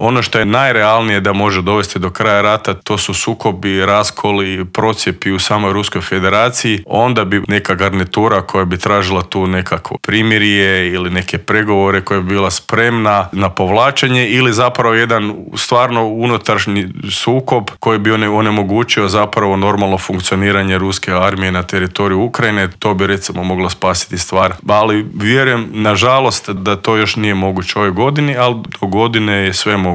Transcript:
Ono što je najrealnije da može dovesti do kraja rata, to su sukobi, raskoli, procjepi u samoj Ruskoj federaciji. Onda bi neka garnitura koja bi tražila tu nekakvo primirje ili neke pregovore koja bi bila spremna na povlačenje ili zapravo jedan stvarno unutrašnji sukob koji bi onemogućio zapravo normalno funkcioniranje ruske armije na teritoriju Ukrajine. To bi recimo moglo spasiti stvar. Ali vjerujem, nažalost, da to još nije moguće ove godine, ali do godine je sve moguće.